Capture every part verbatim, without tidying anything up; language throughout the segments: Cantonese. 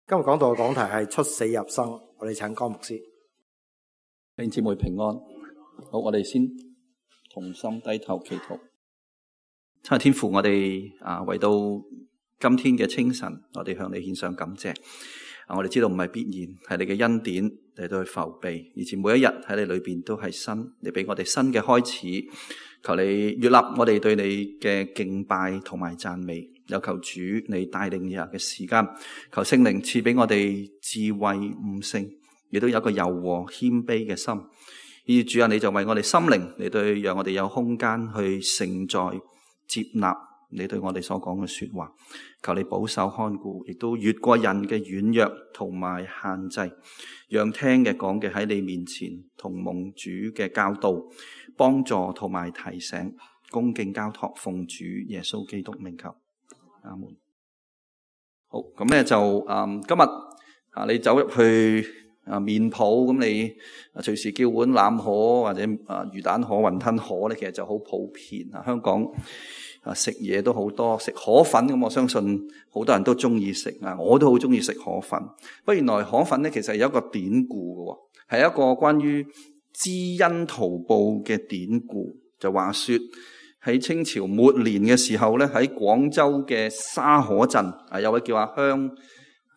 今日講道嘅講題係出死入生，我哋請江牧師。弟兄姊妹平安。好，我哋先同心低頭祈禱。親愛天父，我哋啊為到今天嘅清晨，我哋向你獻上感謝。啊，我哋知道唔係必然，係你嘅恩典嚟到去覆庇，而且每一日喺你裏邊都係新，你俾我哋新嘅開始。求你悅納我哋對你嘅敬拜同埋讚美。有求主你帶領以下嘅時間，求聖靈賜俾我哋智慧悟性，亦都有一個柔和謙卑嘅心。而主啊，你就為我哋心靈嚟對，讓我哋有空間去承載接納你對我哋所講嘅說話。求你保守看顧，亦都越過人嘅軟弱同埋限制，讓聽嘅講嘅喺你面前同蒙主嘅教導幫助同埋提醒，恭敬交託奉主耶穌基督名求。阿門。好，咁咧就誒、嗯，今日啊，你走入去啊麵鋪，咁你啊隨時叫碗腩河或者啊魚蛋河、雲吞河咧，其實就好普遍啊。香港啊食嘢都好多，食河粉咁，我相信好多人都中意食啊，我都好中意食河粉。不過原來河粉咧，其實有一個典故嘅，係一個關於知恩圖報嘅典故，就話說。喺清朝末年嘅時候咧，喺廣州嘅沙河鎮啊，有位叫阿香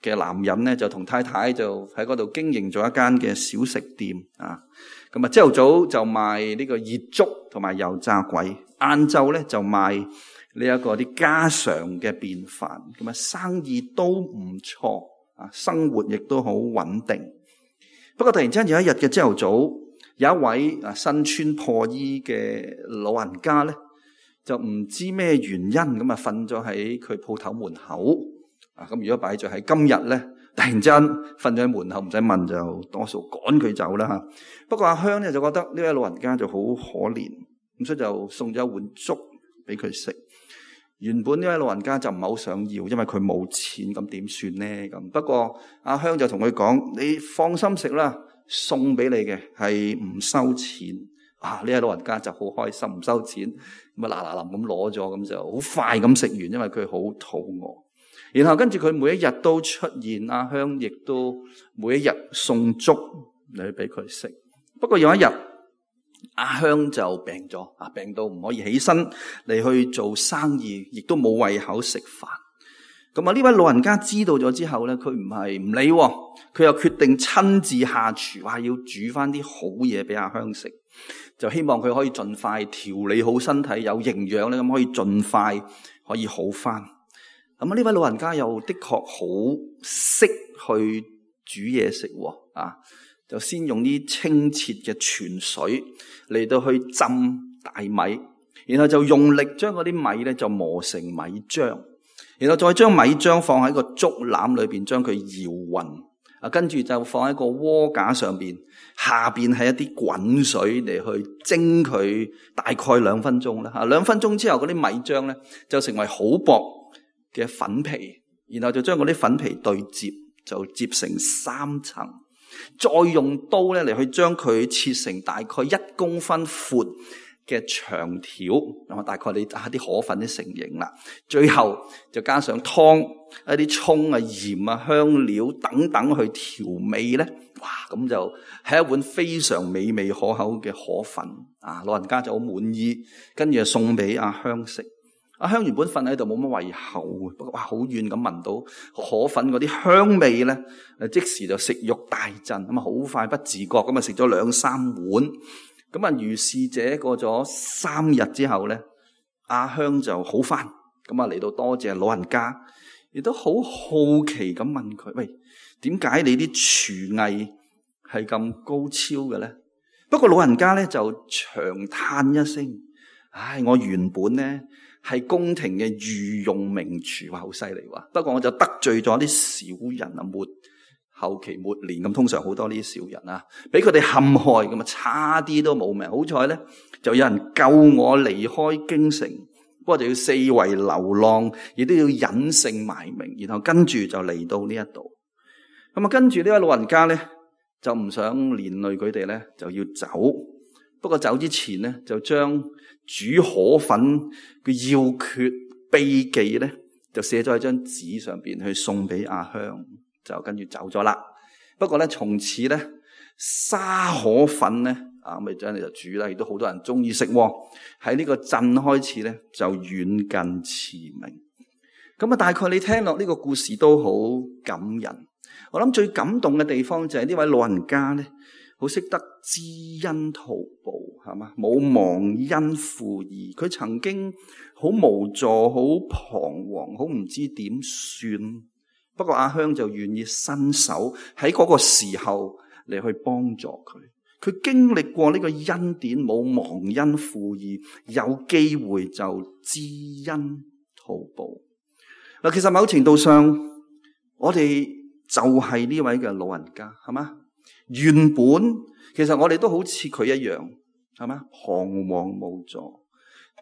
嘅男人咧，就同太太就喺嗰度經營咗一間嘅小食店啊。咁啊，朝頭早就賣呢個熱粥同埋油炸鬼，晏晝咧就賣呢一個啲家常嘅便飯。咁啊，生意都唔錯啊，生活亦都好穩定。不過突然之間有一日嘅朝頭早，有一位啊身穿破衣嘅老人家咧，就唔知咩原因咁啊，瞓咗喺佢鋪頭門口啊。咁如果擺咗喺今日咧，突然之間瞓咗喺門口，唔使問就多數趕佢走啦吓。不過阿香咧就覺得呢位老人家就好可憐，咁所以就送咗一碗粥俾佢食。原本呢位老人家就唔係好想要，因為佢冇錢，咁點算咧咁。不過阿香就同佢講：你放心食啦，送俾你嘅係唔收錢。啊！呢位老人家就好開心，唔收錢，咁啊嗱嗱臨咁攞咗，咁就好快咁食完，因為佢好肚餓。然後跟住佢每一日都出現，阿香亦都每一日送粥嚟俾佢食。不過有一日，阿香就病咗，啊病到唔可以起身嚟去做生意，亦都冇胃口食飯。咁啊呢位老人家知道咗之後咧，佢唔係唔理，佢又決定親自下廚，話要煮翻啲好嘢俾阿香食。就希望佢可以盡快調理好身體，有營養咧，咁可以盡快可以好翻。咁啊，呢位老人家又的確好識去煮嘢食喎，啊，就先用啲清澈嘅泉水嚟到去浸大米，然後就用力將嗰啲米咧就磨成米漿，然後再將米漿放喺個竹籃裏邊，將佢搖勻。啊，跟住就放喺個鍋架上邊，下邊係一啲滾水嚟去蒸佢，大概兩分鐘啦。吓，兩分鐘之後嗰啲米漿咧就成為好薄嘅粉皮，然後就將嗰啲粉皮對接，就接成三層，再用刀咧嚟去將佢切成大概一公分闊嘅長條，咁啊大概你打啲河粉啲成型啦。最後就加上湯、一啲蔥啊、鹽啊、香料等等去調味咧，哇！咁就係一碗非常美味可口嘅河粉啊！老人家就好滿意，跟住就送俾阿香食。阿香原本瞓喺度冇乜胃口，不過哇好遠咁聞到河粉嗰啲香味咧，誒即時就食慾大振，咁啊好快不自覺咁啊食咗兩三碗。咁啊，如是者過咗三日之後咧，阿香就好返，咁啊嚟到多謝老人家，亦都好好奇咁問佢：喂，點解你啲廚藝係咁高超嘅咧？不過老人家咧就長嘆一聲：唉，我原本咧係宮廷嘅御用名廚，話好犀利話，不過我就得罪咗啲小人啊，末後期末年咁，通常好多呢啲小人啊，俾佢哋陷害，咁啊差啲都冇命。好彩咧，就有人救我離開京城，不過就要四圍流浪，亦都要隱姓埋名，然後跟住就嚟到呢一度。咁啊，跟住呢位老人家咧就唔想連累佢哋咧，就要走。不過走之前咧，就將煮河粉嘅要訣秘技咧，就寫咗喺張紙上邊去送俾阿香。就跟住走咗啦。不過咧，從此咧沙河粉咧啊，咪真係就煮啦，亦都好多人中意食。喺呢個鎮開始咧，就遠近馳名。咁啊，大概你聽落呢個故事都好感人。我諗最感動嘅地方就係呢位老人家咧，好識得知恩圖報，係嘛？冇忘恩負義。佢曾經好無助、好彷徨、好唔知點算。不過阿香就願意伸手喺嗰個時候嚟去幫助佢。佢經歷過呢個恩典，冇忘恩負義，有機會就知恩圖報。嗱，其實某程度上，我哋就係呢位嘅老人家，係嘛？原本其實我哋都好似佢一樣，係嘛？彷徨無助、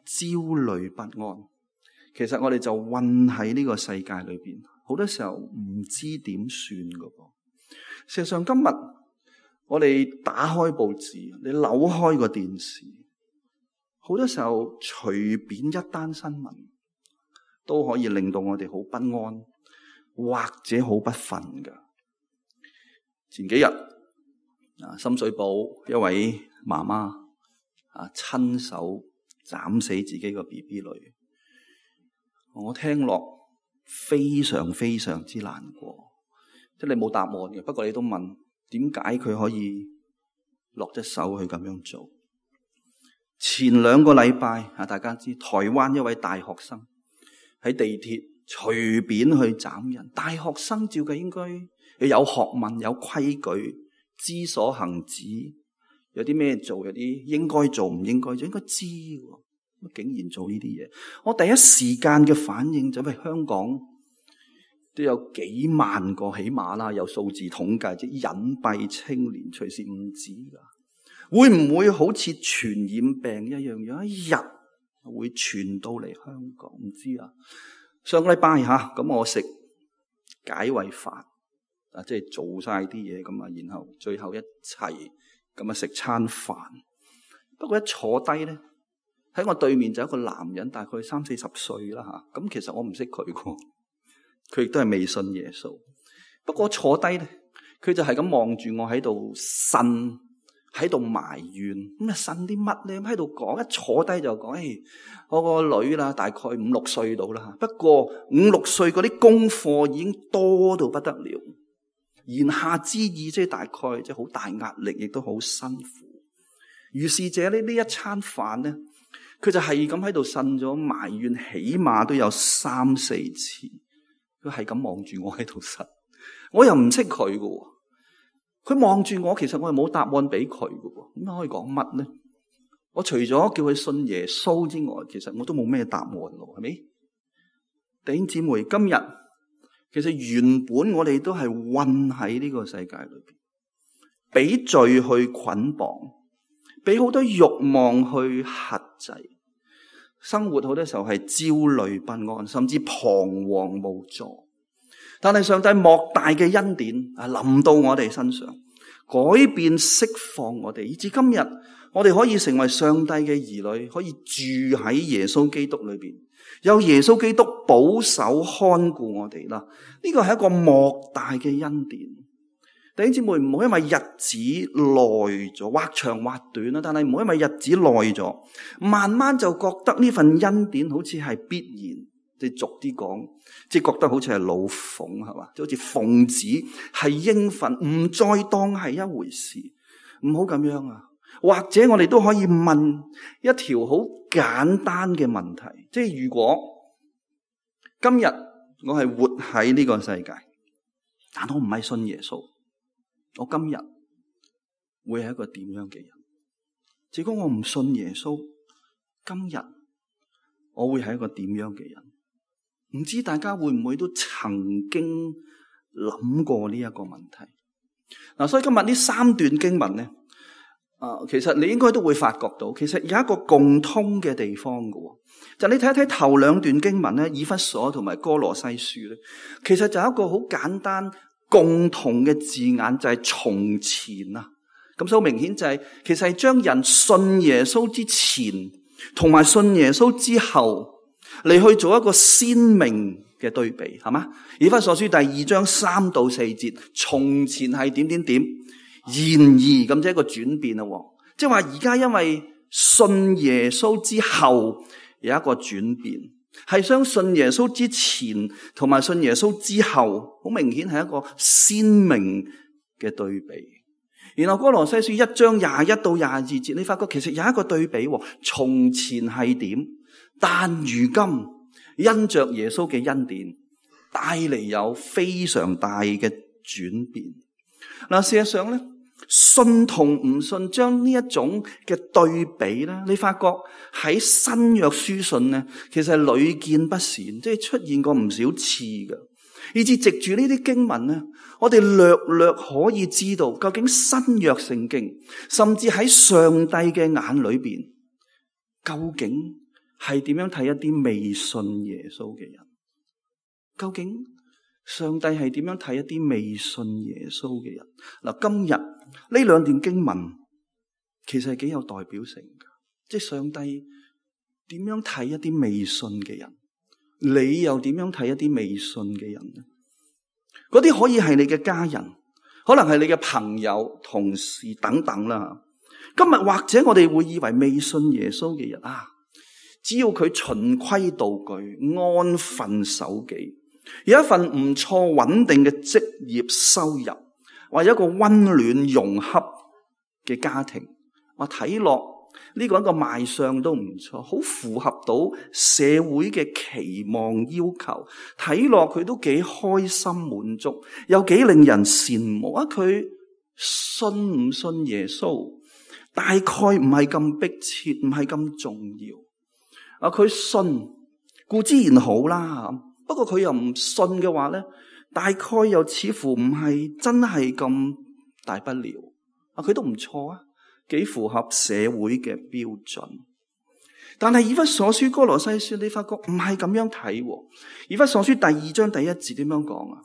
焦慮不安。其實我哋就混喺呢個世界裏邊，好多時候唔知點算噶噃。事實上，今日我哋打開報紙，你扭開個電視，好多時候隨便一單新聞都可以令到我哋好不安，或者好不忿噶。前幾日啊，深水埗一位媽媽啊，親手斬死自己個 B B 女，我聽落非常非常之難過。即係你冇答案嘅，不過你都問點解佢可以落隻手去咁樣做？前兩個禮拜啊，大家知台灣一位大學生喺地鐵隨便去斬人。大學生照計應該有學問、有規矩、知所行止，有啲咩做，有啲應該做唔應該做，應該知喎。竟然做呢啲嘢，我第一時間嘅反應就係香港都有幾萬個起碼啦，有數字統計，即係隱蔽青年，隨時唔止噶。會唔會好似傳染病一樣，有一日會傳到嚟香港？唔知啊。上個禮拜吓，咁我食解胃飯啊，即係做晒啲嘢咁啊，然後最後一齊咁啊食餐飯。不過一坐低咧，喺我對面就有一個男人，大概三四十歲啦吓。咁其實我唔識佢嘅，佢亦都係未信耶穌。不過坐低咧，佢就係咁望住我喺度呻，喺度埋怨。咁啊呻啲乜咧？咁喺度講，一坐低就講：誒、哎，我個女啦，大概五六歲到啦。不過五六歲嗰啲功課已經多到不得了。言下之意，即係大概即係好大壓力，亦都好辛苦。於是者呢，呢一餐飯咧，佢就係咁喺度呻咗埋怨，起碼都有三四次。佢係咁望住我喺度呻，我又唔識佢嘅。佢望住我，其實我係冇答案俾佢嘅。咁可以講乜咧？我除咗叫佢信耶穌之外，其實我都冇咩答案咯，係咪？弟兄姊妹，今日其實原本我哋都係混喺呢個世界裏邊，俾罪去捆綁，俾好多慾望去轄制，生活好多時候係焦慮不安，甚至彷徨無助。但係上帝莫大嘅恩典啊，臨到我哋身上，改變釋放我哋，以至今日我哋可以成為上帝嘅兒女，可以住喺耶穌基督裏邊，有耶穌基督保守看顧我哋啦。呢個係一個莫大嘅恩典。弟兄姊妹，唔好因為日子耐咗，或長或短啦，但係唔好因為日子耐咗，慢慢就覺得呢份恩典好似係必然。即係俗啲講，即係覺得好似係老鳳，係嘛？即好似奉旨係應份，唔再當係一回事，唔好咁樣啊！或者我哋都可以問一條好簡單嘅問題，即係如果今日我係活喺呢個世界，但我唔係信耶穌，我今日會係一個點樣嘅人？如果我唔信耶穌，今日我會係一個點樣嘅人？唔知大家會唔會都曾經諗過呢一個問題？嗱，所以今日呢三段經文咧，啊，其實你應該都會發覺到，其實有一個共通嘅地方嘅，就你睇一睇頭兩段經文咧，以弗所同埋哥羅西書咧，其實就有一個好簡單共同嘅字眼，就係從前啊。咁所以明顯就係，其實係將人信耶穌之前同埋信耶穌之後嚟去做一個鮮明嘅對比，係嘛？以弗所書第二章三到四節，從前係點點點，然而咁即係一個轉變啦。即係話而家因為信耶穌之後有一個轉變，係相信耶穌之前同埋信耶穌之後，好明顯係一個鮮明嘅對比。然後哥羅西書一章廿一到廿二節，你發覺其實有一個對比，從前係點，但如今因着耶穌嘅恩典，帶嚟有非常大嘅轉變。嗱，事實上咧，信同唔信將呢一種嘅對比咧，你發覺喺新約書信咧，其實係屢見不鮮，即係出現過唔少次嘅。以至藉住呢啲經文咧，我哋略略可以知道究竟新約聖經，甚至喺上帝嘅眼裏邊，究竟係點樣睇一啲未信耶穌嘅人？究竟上帝係點樣睇一啲未信耶穌嘅人？嗱，今日呢兩段經文其實係幾有代表性嘅，即係上帝點樣睇一啲未信嘅人？你又點樣睇一啲未信嘅人呢？嗰啲可以係你嘅家人，可能係你嘅朋友、同事等等啦。今日或者我哋會以為未信耶穌嘅人啊，只要佢循規蹈矩、安分守己，有一份唔錯穩定嘅職業收入，或者一個溫暖融洽嘅家庭，我睇落呢個一個賣相都唔錯，好符合到社會嘅期望要求，睇落佢都幾開心滿足，又幾令人羨慕啊！佢信唔信耶穌，大概唔係咁迫切，唔係咁重要。啊，佢信固之然好啦，不過佢又唔信嘅話咧，大概又似乎唔係真係咁大不了。啊，佢都唔錯啊，幾符合社會嘅標準。但係以弗所書、哥羅西書，你發覺唔係咁樣睇。以弗所書第二章第一節點樣講啊？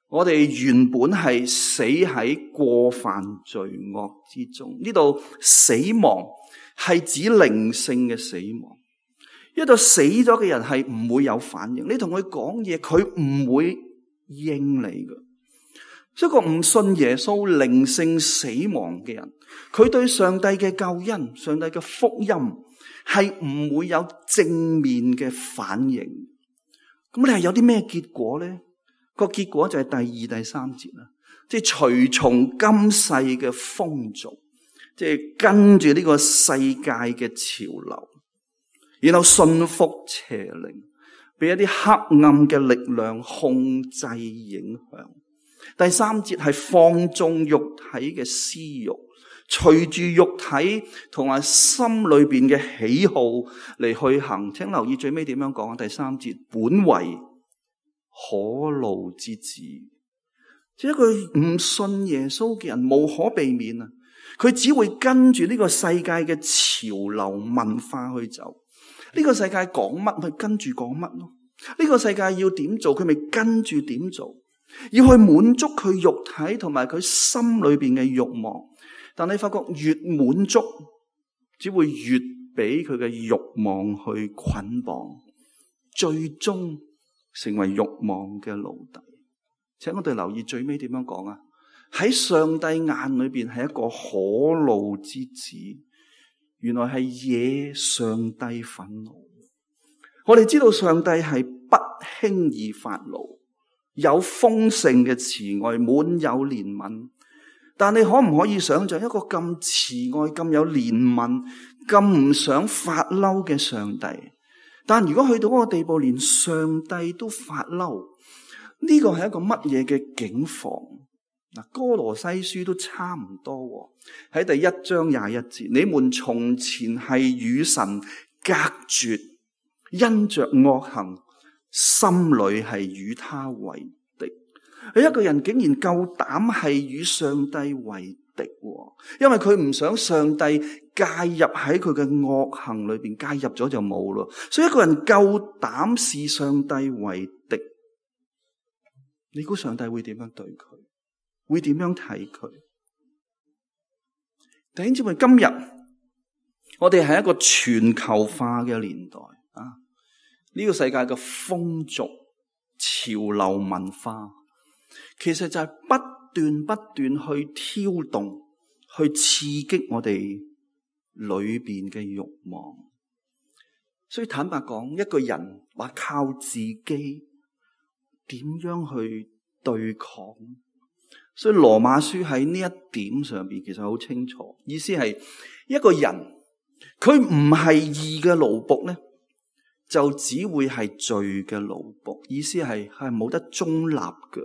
我哋原本係死喺過犯罪惡之中，呢度死亡係指靈性嘅死亡。一個死咗嘅人係唔會有反應，你同佢講嘢，佢唔會應你嘅。一個唔信耶穌、靈性死亡嘅人，佢對上帝嘅救恩、上帝嘅福音係唔會有正面嘅反應。咁你係有啲咩結果咧？個結果就係第二、第三節啦，即係隨從今世嘅風俗，即係跟住呢個世界嘅潮流，然後信服邪靈，俾一啲黑暗嘅力量控制影響。第三節係放縱肉體嘅私欲，隨住肉體同埋心裏邊嘅喜好嚟去行。請留意最尾點樣講啊？第三節本為可怒之子，即係一個唔信耶穌嘅人，無可避免啊！佢只會跟住呢個世界嘅潮流文化去走。呢個世界講乜咪跟住講乜咯？呢個世界要點做，佢咪跟住點做。要去滿足佢肉體同埋佢心裏邊嘅慾望，但你發覺越滿足，只會越俾佢嘅慾望去捆綁，最終成為慾望嘅奴隸。請我哋留意最尾點樣講啊？喺上帝眼裏邊係一個可怒之子，原來係惹上帝憤怒。我哋知道上帝係不輕易發怒，有豐盛嘅慈愛，滿有憐憫。但你可唔可以想象一個咁慈愛、咁有憐憫、咁唔想發嬲嘅上帝？但如果去到嗰個地步，連上帝都發嬲，呢個係一個乜嘢嘅境況？嗱，哥羅西書都差唔多喺第一章廿一節，你們從前係與神隔絕，因着惡行，心裏係與他為敵。一個人竟然夠膽係與上帝為敵，因為佢唔想上帝介入喺佢嘅惡行裏邊，介入咗就冇咯。所以一個人夠膽視上帝為敵，你估上帝會點樣對佢？會點樣睇佢？弟兄姊妹，今日我哋係一個全球化嘅年代啊！呢個世界嘅風俗、潮流、文化，其實就係不斷不斷去挑動、去刺激我哋裏邊嘅慾望。所以坦白講，一個人話靠自己點樣去對抗？所以羅馬書喺呢一點上邊其實好清楚，意思係一個人佢唔係義嘅奴僕咧，就只會係罪嘅奴僕。意思係係冇得中立嘅，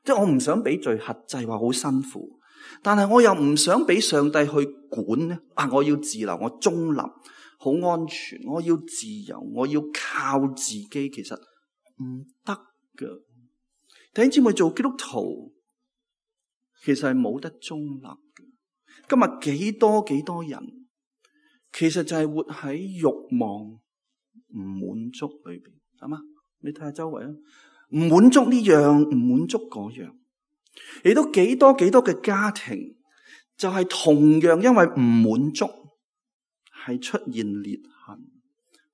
即係我唔想俾罪轄制，話好辛苦，但係我又唔想俾上帝去管咧。啊，我要自由，我中立，好安全，我要自由，我要靠自己，其實唔得㗎。弟兄姊妹，做基督徒其實係冇得中立嘅。今日幾多幾多人，其實就係活喺慾望唔滿足裏邊，係嘛？你睇下周圍啊，唔滿足呢樣，唔滿足嗰樣，亦都幾多幾多嘅家庭，就係同樣因為唔滿足，係出現裂痕，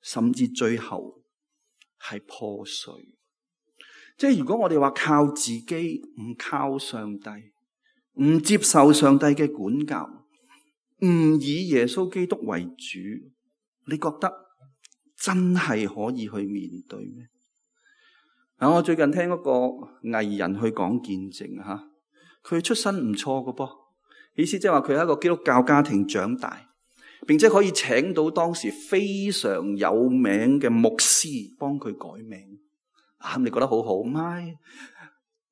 甚至最後係破碎。即係如果我哋話靠自己，唔靠上帝，唔接受上帝嘅管教，唔以耶穌基督為主，你覺得真係可以去面對咩？啊，我最近聽嗰個藝人去講見證吓，佢出身唔錯㗎噃，意思即係話佢喺一個基督教家庭長大，並且可以請到當時非常有名嘅牧師幫佢改名。啊，你覺得好好？唔係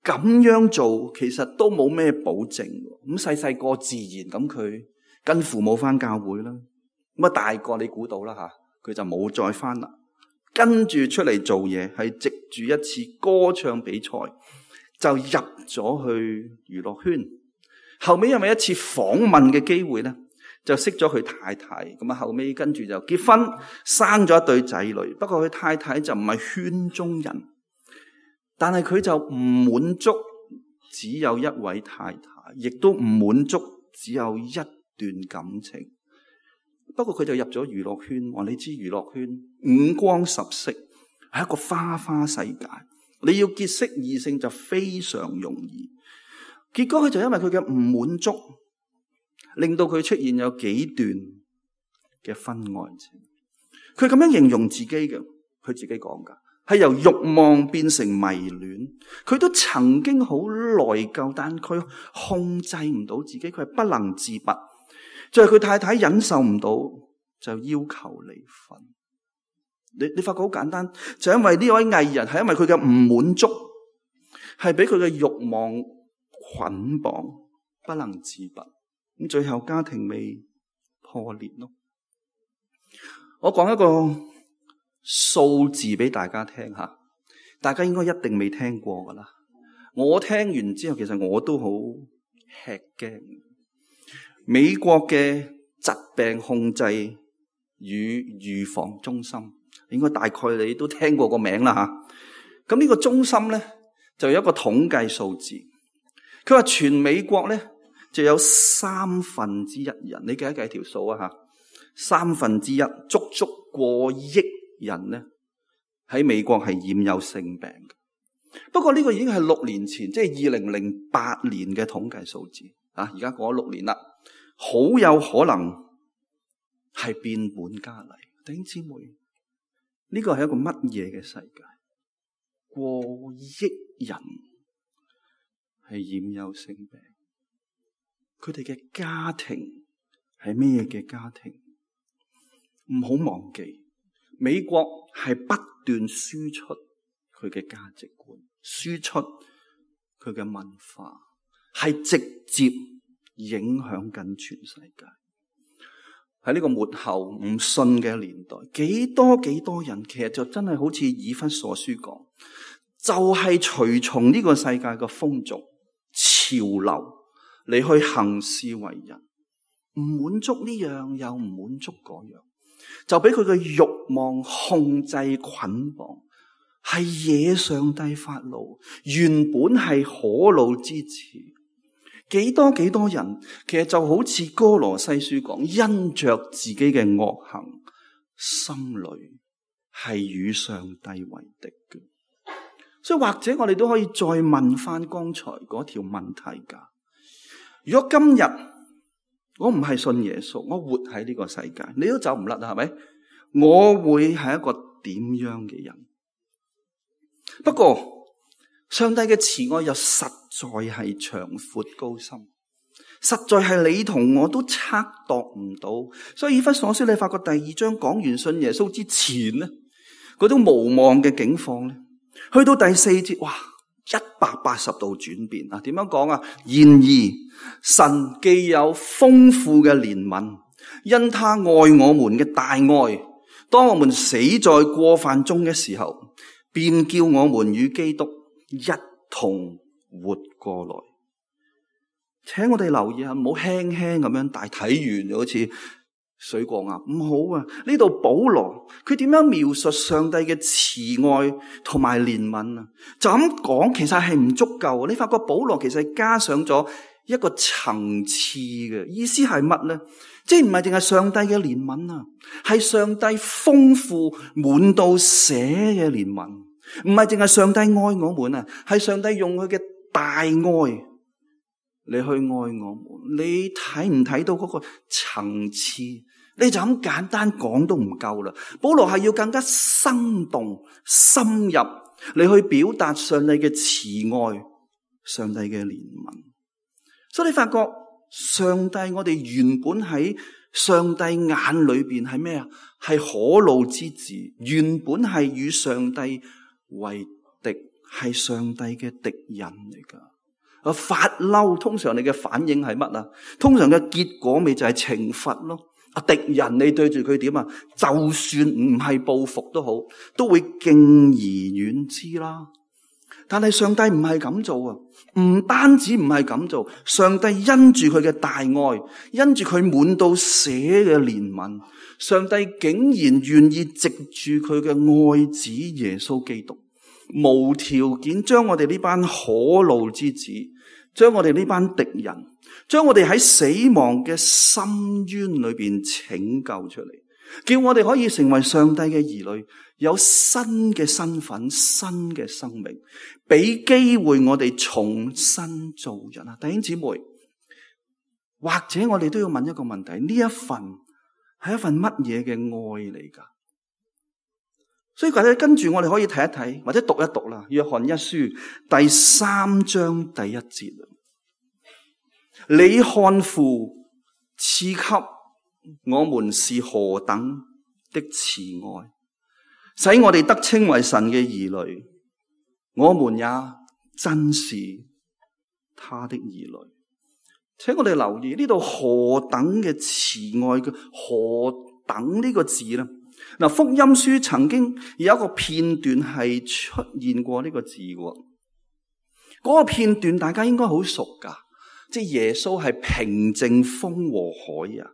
咁樣做，其實都冇咩保證。咁細細個自然咁，佢跟父母翻教會啦。咁啊大個你估到啦吓，佢就冇再翻啦。跟住出嚟做嘢，係藉住一次歌唱比賽就入咗去娛樂圈。後尾因為一次訪問嘅機會咧，就識咗佢太太。咁啊後尾跟住就結婚，生咗一對仔女。不過佢太太就唔係圈中人。但係佢就唔滿足只有一位太太，亦都唔滿足只有一段感情。不過佢就入咗娛樂圈，話你知娛樂圈五光十色，係一個花花世界。你要結識異性就非常容易。結果佢就因為佢嘅唔滿足，令到佢出現有幾段嘅婚外情。佢咁樣形容自己嘅，佢自己講噶。係由慾望變成迷戀，佢都曾經好內疚，但佢控制唔到自己，佢係不能自拔。就係佢太太忍受唔到，就要求離婚。你你發覺好簡單，就因為呢位藝人係因為佢嘅唔滿足，係俾佢嘅慾望捆綁，不能自拔。咁最後家庭未破裂咯。我講一個數字俾大家聽下，大家應該一定未聽過噶啦。我聽完之後，其實我都好吃驚。美國嘅疾病控制與預防中心，應該大概你都聽過個名啦吓。咁呢個中心咧就有一個統計數字，佢話全美國咧就有三分之一人，你計一計條數啊吓，三分之一，足足過億人咧喺美國係染有性病嘅。不過呢個已經係六年前，即係二零零八年嘅統計數字啊！而家過咗六年啦，好有可能係變本加厲。弟兄姊妹，呢個係一個乜嘢嘅世界？過億人係染有性病，佢哋嘅家庭係咩嘅家庭？唔好忘記。美國係不斷輸出佢嘅價值觀，輸出佢嘅文化，係直接影響緊全世界。喺呢個末後唔信嘅年代，幾多幾多人其實就真係好似以弗所書講，就係隨從呢個世界嘅風俗潮流嚟去行事為人，唔滿足呢樣又唔滿足嗰樣。就俾佢嘅慾望控制捆綁，係惹上帝發怒，原本係可怒之詞。幾多幾多人，其實就好似哥羅西書講，因着自己嘅惡行，心裏係與上帝為敵嘅。所以或者我哋都可以再問翻剛才嗰條問題噶。如果今日我唔係信耶穌，我活喺呢個世界，你都走唔甩啦，係咪？我會係一個點樣嘅人？不過上帝嘅慈愛又實在係長闊高深，實在係你同我都測度唔到。所以以弗所書你發覺第二章講完信耶穌之前呢，嗰種無望嘅境況咧，去到第四節，哇，一百八十度轉變啊！點樣講啊？然而神既有豐富嘅憐憫，因他愛我們嘅大愛，當我們死在過犯中嘅時候，便叫我們與基督一同活過來。請我哋留意下，唔好輕輕咁樣大睇完就好似水過鴨，唔好啊！呢度保羅佢點樣描述上帝嘅慈愛同埋憐憫啊？就咁講其實係唔足夠。你發覺保羅其實係加上咗一個層次嘅意思係乜咧？即係唔係淨係上帝嘅憐憫啊，係上帝豐富滿到瀉嘅憐憫，唔係淨係上帝愛我們啊，係上帝用佢嘅大愛你去愛我們。你睇唔睇到嗰個層次？你就咁簡單講都唔夠啦。保羅係要更加生動深入你去表達上帝嘅慈愛，上帝嘅憐憫。所以你發覺上帝，我哋原本喺上帝眼裏邊係咩啊？係可怒之子，原本係與上帝為敵，係上帝嘅敵人嚟噶。啊，發嬲，通常你嘅反應係乜啊？通常嘅結果咪就係懲罰咯。啊，敵人你對住佢點啊？就算唔係報復都好，都會敬而遠之啦。但係上帝唔係咁做啊，唔單止唔係咁做，上帝因住佢嘅大愛，因住佢滿到瀉嘅憐憫，上帝竟然願意藉住佢嘅愛子耶穌基督，無條件將我哋呢班可怒之子，將我哋呢班敵人，將我哋喺死亡嘅深淵裏邊拯救出嚟，叫我哋可以成為上帝嘅兒女，有新嘅身份、新嘅生命，俾機會我哋重新做人啊！弟兄姊妹，或者我哋都要問一個問題：呢一份係一份乜嘢嘅愛嚟噶？所以或者跟住我哋可以睇一睇，或者讀一讀啦，《約翰一書》第三章第一節。你看父賜給我們是何等的慈愛，使我哋得稱為神嘅兒女，我們也真是他的兒女。請我哋留意呢度何等嘅慈愛嘅何等呢個字呢？嗱，福音書曾經有一個片段係出現過呢個字嘅，嗰、那個片段大家應該好熟噶，即係耶穌係平靜風和海啊！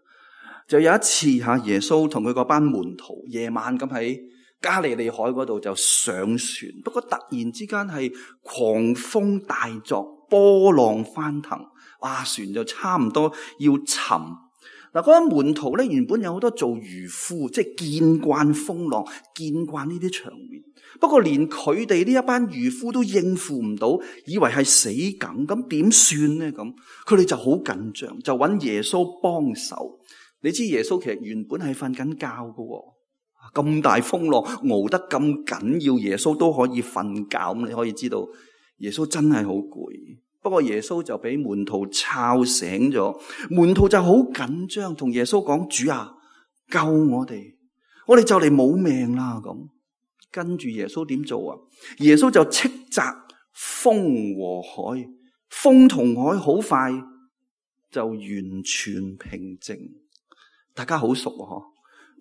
就有一次吓，耶穌同佢嗰班門徒夜晚咁喺加利利海嗰度就上船，不過突然之間係狂風大作，波浪翻騰，哇！船就差唔多要沉。嗱，嗰班門徒咧原本有好多做漁夫，即係見慣風浪，見慣呢啲場面。不過連佢哋呢一班漁夫都應付唔到，以為係死梗，咁點算呢？咁佢哋就好緊張，就揾耶穌幫手。你知耶穌其實原本係瞓緊覺噶，咁大風浪熬得咁緊要，耶穌都可以瞓覺。咁你可以知道耶穌真係好攰。不過耶穌就俾門徒吵醒咗，門徒就好緊張，同耶穌講：主啊，救我哋，我哋就嚟冇命啦！咁跟住耶穌點做啊？耶穌就斥責風和海，風同海好快就完全平靜。大家好熟啊！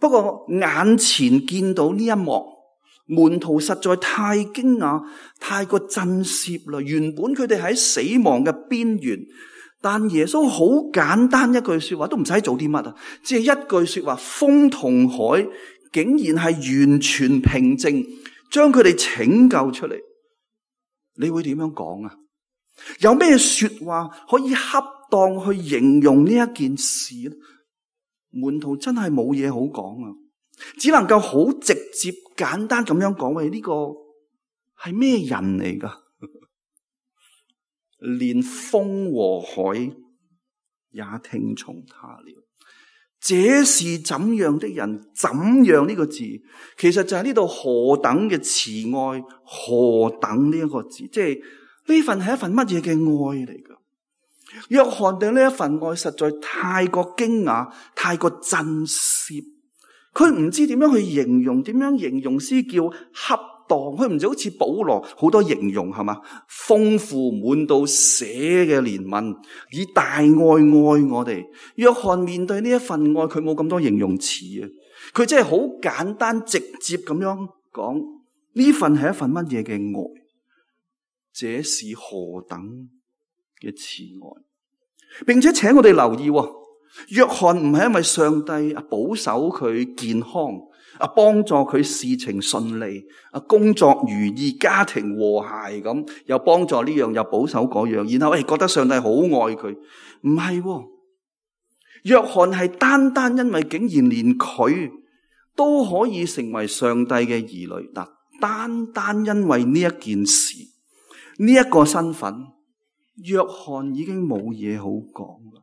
不過眼前見到呢一幕，門徒實在太驚訝，太過震懾啦。原本佢哋喺死亡嘅邊緣，但耶穌好簡單一句說話，都唔使做啲乜啊，只係一句說話，風同海竟然係完全平靜，將佢哋拯救出嚟。你會點樣講啊？有咩說話可以恰當去形容呢一件事呢？門徒真係冇嘢好講啊！只能夠好直接簡單咁樣講，喂，呢個係咩人嚟㗎？連風和海也聽從他了。這是怎樣的人？怎樣呢個字，其實就係呢度何等嘅慈愛，何等呢一個字，即係呢份係一份乜嘢嘅愛嚟㗎？約翰對呢一份愛實在太過驚訝，太過震懾，佢唔知點樣去形容，點樣形容先叫恰當？佢唔就好似保羅好多形容係嘛？豐富滿到瀉嘅憐憫，以大愛愛我哋。約翰面對呢一份愛，佢冇咁多形容詞啊，佢真係好簡單直接咁樣講，呢份係一份乜嘢嘅愛？這是何等嘅慈愛，並且請我哋留意，約翰唔係因為上帝啊保守佢健康啊，幫助佢事情順利啊，工作如意，家庭和諧咁，又幫助呢樣又保守嗰樣，然後誒、哎、覺得上帝好愛佢，唔係，約翰係單單因為竟然連佢都可以成為上帝嘅兒女，嗱，單單因為呢一件事，呢、這、一個身份，約翰已經冇嘢好講啦，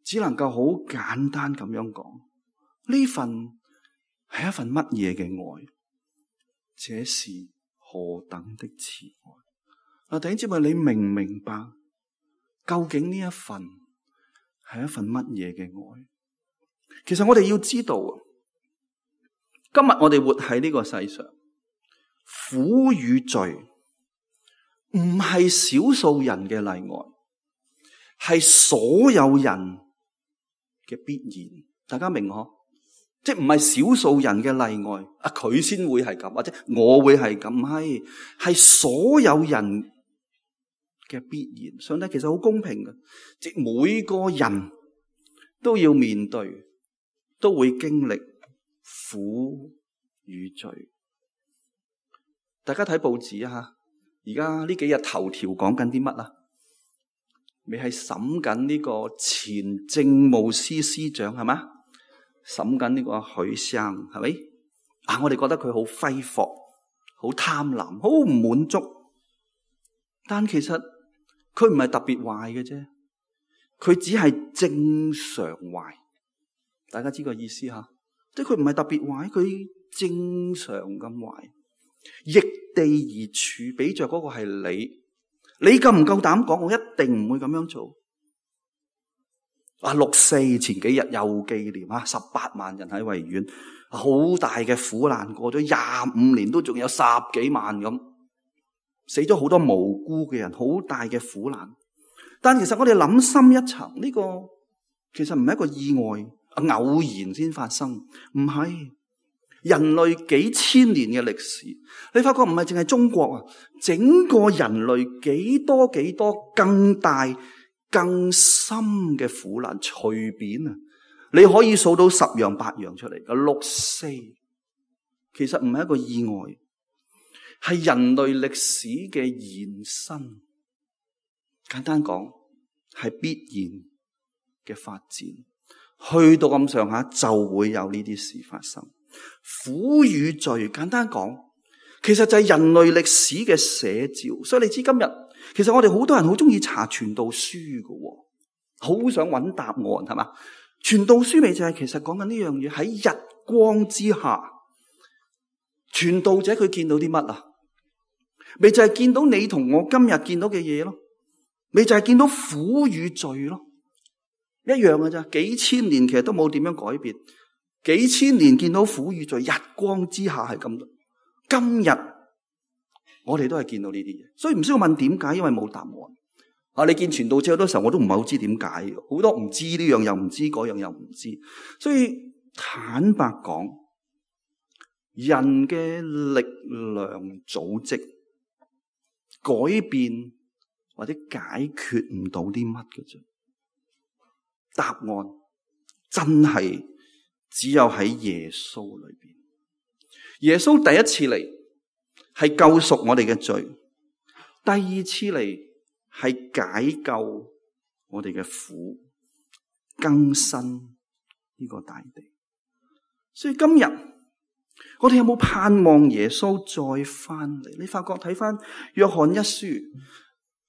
只能夠好簡單咁樣講，呢份係一份乜嘢嘅愛？這是何等的慈愛？嗱，弟兄姊妹，你明唔明白究竟呢一份係一份乜嘢嘅愛？其實我哋要知道，今日我哋活喺呢個世上，苦與罪唔係少數人嘅例外，係所有人嘅必然。大家明嗬？即係唔係少數人嘅例外，啊佢先會係咁，或者我會係咁，係係所有人嘅必然。上帝其實好公平嘅，即係每個人都要面對，都會經歷苦與罪。大家睇報紙啊，而家呢幾日頭條講緊啲乜啊？你係審緊呢個前政務司司長係嘛？審緊呢個許生係咪？啊，我哋覺得佢好揮霍，好貪婪，好唔滿足。但其實佢唔係特別壞嘅啫，佢只係正常壞。大家知個意思吓？即係佢唔係特別壞，佢正常咁壞。易地而處，比着嗰個係你，你夠唔夠膽講？我一定唔會咁樣做。啊，六四前幾日又紀念啊，十八萬人喺維園，好大嘅苦難，過咗廿五年都仲有十幾萬咁，死咗好多無辜嘅人，好大嘅苦難。但其實我哋諗深一層，呢個其實唔係一個意外，偶然先發生，唔係。人類幾千年嘅歷史，你發覺唔係淨係中國啊，整個人類幾多幾多更大更深嘅苦難，隨便啊，你可以數到十樣八樣出嚟嘅。六四其實唔係一個意外，係人類歷史嘅延伸。簡單講，係必然嘅發展，去到咁上下就會有呢啲事發生。苦與罪，簡單講，其實就係人類歷史嘅寫照。所以你知今日，其實我哋好多人好中意查傳道書嘅，好想揾答案，係嘛？傳道書咪就係其實講緊呢樣嘢，喺日光之下，傳道者佢見到啲乜啊？咪就係見到你同我今日見到嘅嘢咯，咪就係見到苦與罪咯，一樣嘅咋？幾千年其實都冇點樣改變。幾千年見到苦與罪，日光之下係咁。今日我哋都係見到呢啲嘢，所以唔需要問點解，因為冇答案。啊，你見傳道者好多時候我都唔係好知點解，好多唔知呢樣又唔知，嗰樣又唔知。所以坦白講，人嘅力量組織改變或者解決唔到啲乜嘅啫。答案真係只有喺耶穌裏邊。耶穌第一次嚟係救贖我哋嘅罪，第二次嚟係解救我哋嘅苦，更新呢個大地。所以今日我哋有冇盼望耶穌再翻嚟？你發覺睇翻約翰一書，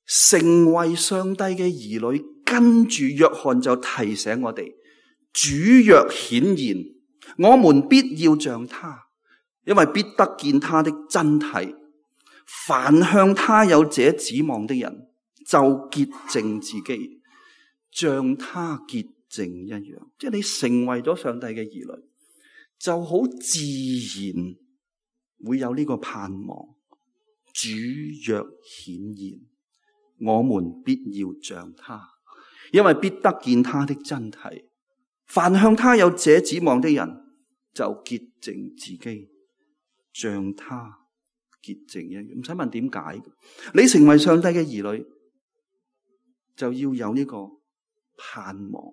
成為上帝嘅兒女，跟住約翰就提醒我哋：主若顯現，我們必要像他，因為必得見他的真體。凡向他有這指望的人，就潔淨自己，像他潔淨一樣。即係你成為咗上帝嘅兒女，就好自然會有呢個盼望。主若顯現，我們必要像他，因為必得見他的真體。凡向他有這指望的人，就潔淨自己，像他潔淨一樣。唔使問點解，你成為上帝嘅兒女，就要有呢個盼望。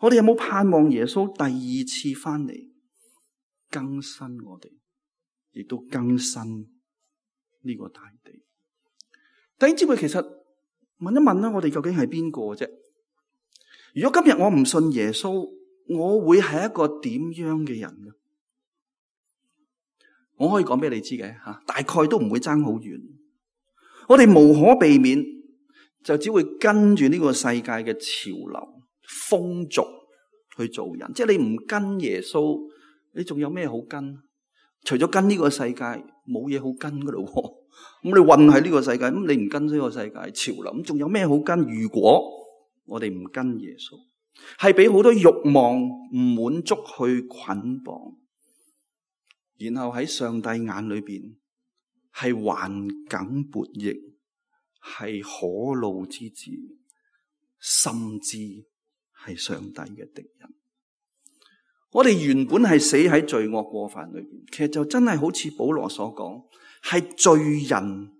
我哋有冇盼望耶穌第二次翻嚟更新我哋，亦都更新呢個大地？弟兄姊妹，其實問一問啦，我哋究竟係邊個啫？如果今日我唔信耶穌，我會係一個點樣嘅人呢？我可以講俾你知嘅吓，大概都唔會爭好遠。我哋無可避免就只會跟住呢個世界嘅潮流、風俗去做人。即係你唔跟耶穌，你仲有咩好跟？除咗跟呢個世界，冇嘢好跟噶咯。咁你混喺呢個世界，咁你唔跟呢個世界潮流，咁仲有咩好跟？如果我哋唔跟耶穌，係俾好多慾望唔滿足去捆綁，然後喺上帝眼裏邊係頑梗悖逆，係可怒之子，甚至係上帝嘅敵人。我哋原本係死喺罪惡過犯裏邊，其實就真係好似保羅所講，係罪人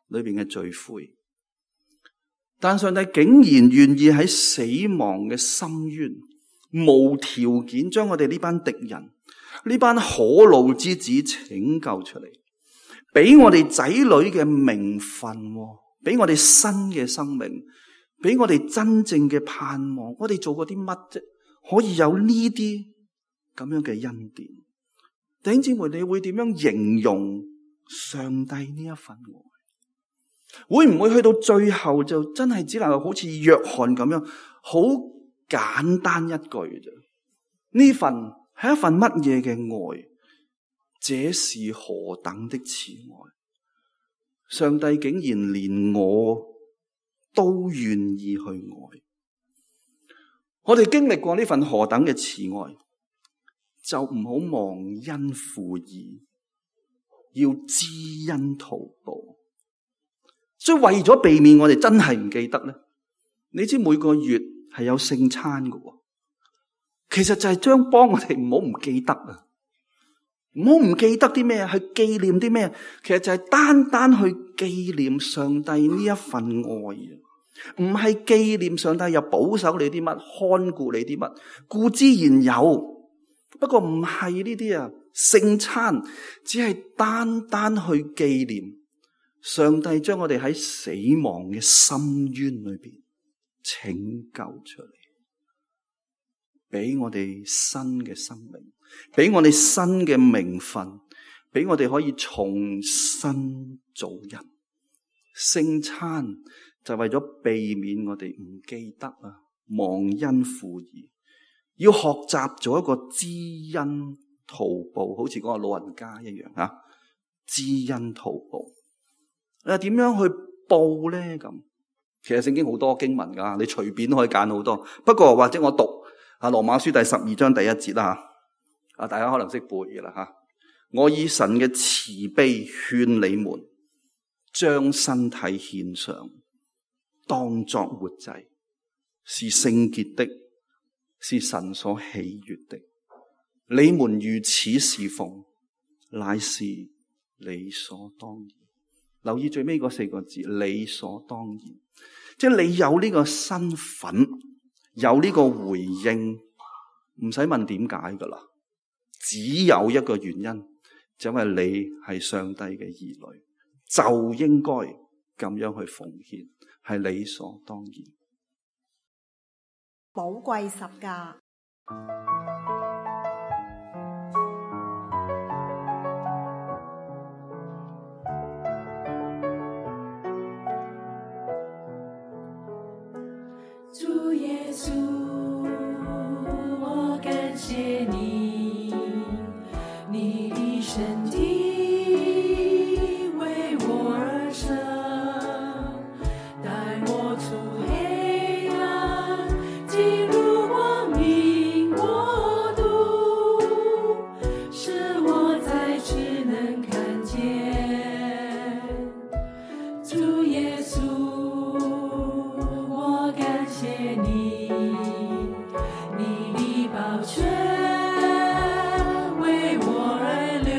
裏邊嘅罪魁。但上帝竟然願意喺死亡嘅深淵，無條件將我哋呢班敵人、呢班可怒之子拯救出嚟，俾我哋仔女嘅名分，俾我哋新嘅生命，俾我哋真正嘅盼望。我哋做過啲乜啫？可以有呢啲咁樣嘅恩典？弟兄姊妹，你會點樣形容上帝呢一份愛？會唔會去到最後就真係只能夠好似約翰咁樣，好簡單一句啫？呢份係一份乜嘢嘅愛？這是何等的慈愛！上帝竟然連我都願意去愛。我哋經歷過呢份何等嘅慈愛，就唔好忘恩負義，要知恩圖報。所以為咗避免我哋真係唔記得咧，你知每個月係有聖餐嘅，其實就係將幫我哋唔好唔記得啊，唔好唔記得啲咩啊，去紀念啲咩？其實就係單單去紀念上帝呢一份愛啊，唔係紀念上帝又保守你啲乜，看顧你啲乜，固之然有，不過唔係呢啲啊。聖餐只係單單去紀念上帝將我哋喺死亡嘅深淵裏邊拯救出嚟，俾我哋新嘅生命，俾我哋新嘅名分，俾我哋可以重新做人。聖餐就為咗避免我哋唔記得啊，忘恩負義，要學習做一個知恩圖報，好似嗰個老人家一樣啊，知恩圖報。誒，點樣去報咧？咁其實聖經好多經文噶，你隨便可以揀好多。不過或者我讀啊羅馬書第十二章第一節啦吓，啊大家可能識背嘅啦吓。我以神嘅慈悲勸你們，將身體獻上，當作活祭，是聖潔的，是神所喜悅的。你們如此侍奉，乃是理所當然。留意最尾嗰四個字，理所當然，即係你有呢個身份，有呢個回應，唔使問點解噶啦，只有一個原因，就因為你係上帝嘅兒女，就應該咁樣去奉獻，係理所當然。寶貴十架，主耶稣，我感谢你，你的身体为我而生，带我出黑暗，进入光明国度，使我再次能看见。主耶稣，我感谢你，你的宝血为我而流，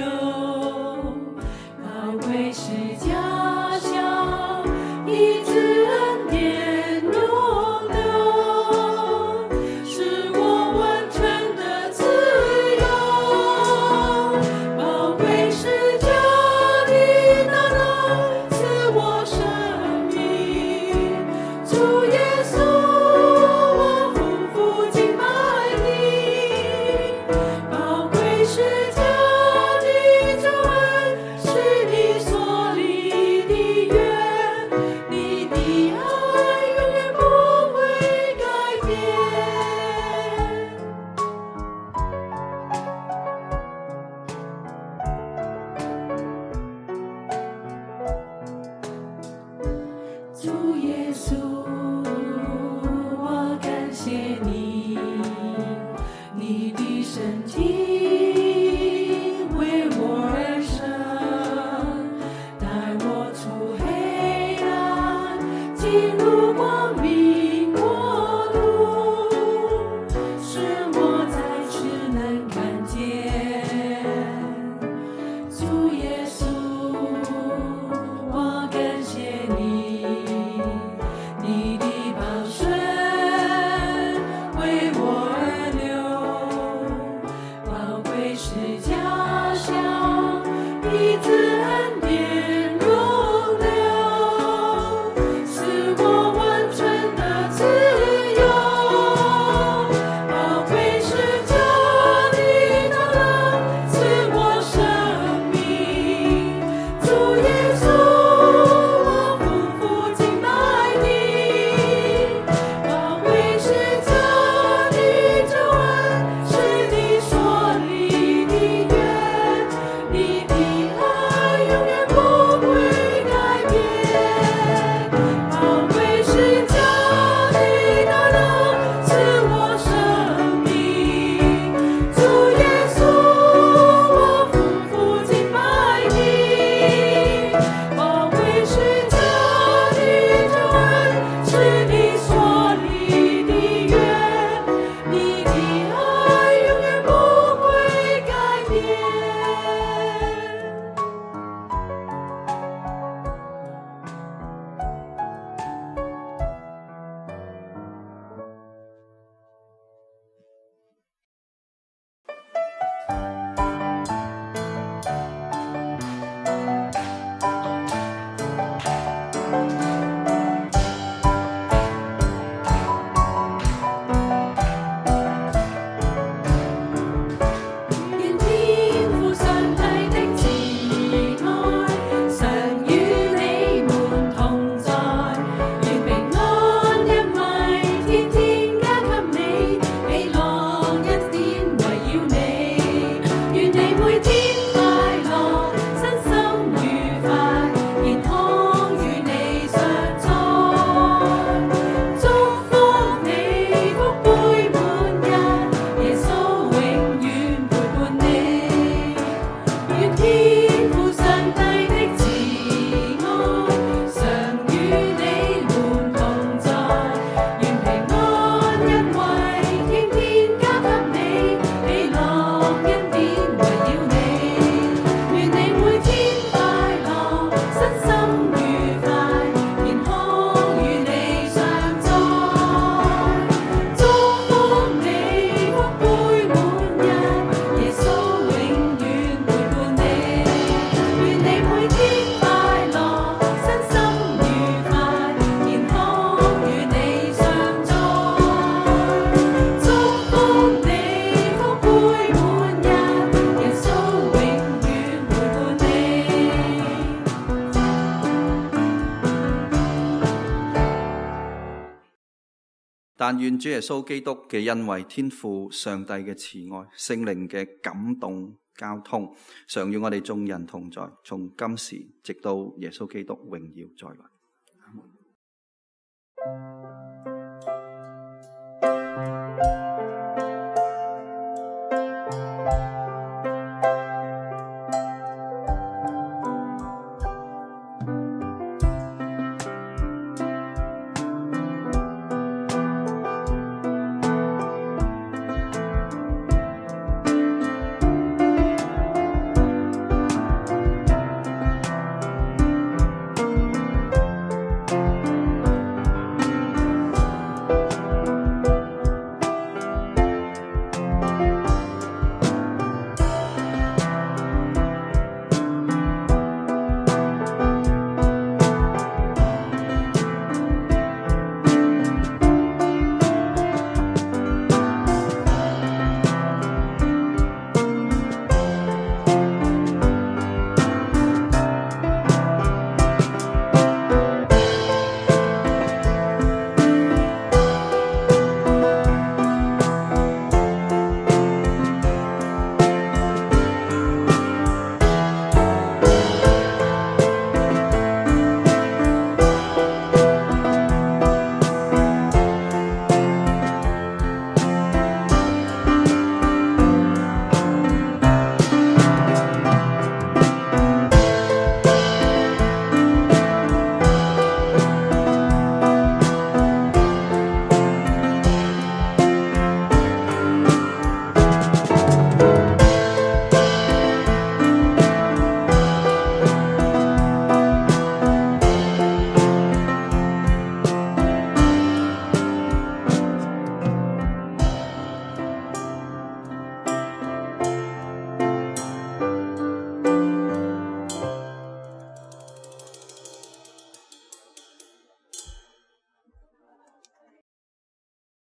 但願主耶穌基督嘅恩惠、天父上帝嘅慈愛、聖靈嘅感動交通，常與我哋眾人同在，從今時直到耶穌基督榮耀再來。